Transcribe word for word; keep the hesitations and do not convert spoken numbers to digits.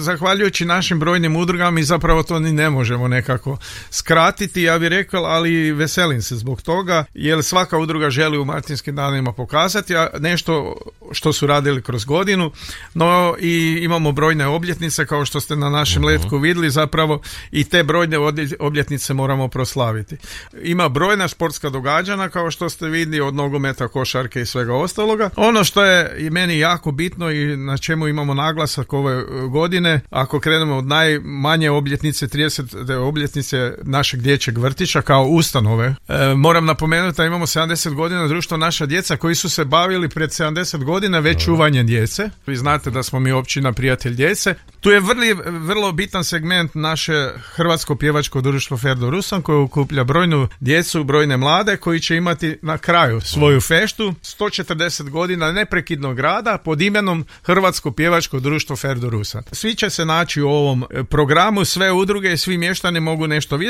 zahvaljujući našim brojnim udrugama mi zapravo to ni ne možemo nekako skratiti, ja bih rekao, ali veselim se zbog toga, jer svaka udruga želi u Martinskim danima pokazati a nešto što su radili kroz godinu, no i imamo brojne obljetnice kao što ste na našem uh-huh. letku vidjeli zapravo i te brojne obljetnice moramo proslaviti. Ima brojna športska događanja kao što ste vidjeli, od nogometa, košarke i svega ostaloga. Ono što je i meni jako bitno i na čemu imamo naglasak ove godine, ako krenemo od najmanje obljetnice, tridesete obljetnice našeg dječjeg vrtića kao ustanove, e, moram napomenuti da imamo sedamdeset godina društvo Naša djeca koji su se bavili pred sedamdeset godina već čuvanjem djece. Vi znate da smo mi općina Prijatelj djece. Tu je vrli, vrlo bitan segment naše Hrvatsko pjevačko društvo Ferdo Rusan koje okuplja brojnu djecu, brojne mlade koji će imati na kraju svoju feštu sto četrdeset godina neprekidnog rada pod imenom Hrvatsko pjevačko društvo Ferdo Rusan. Svi će se naći u ovom programu, sve udruge i svi mještani mogu nešto vidjeti.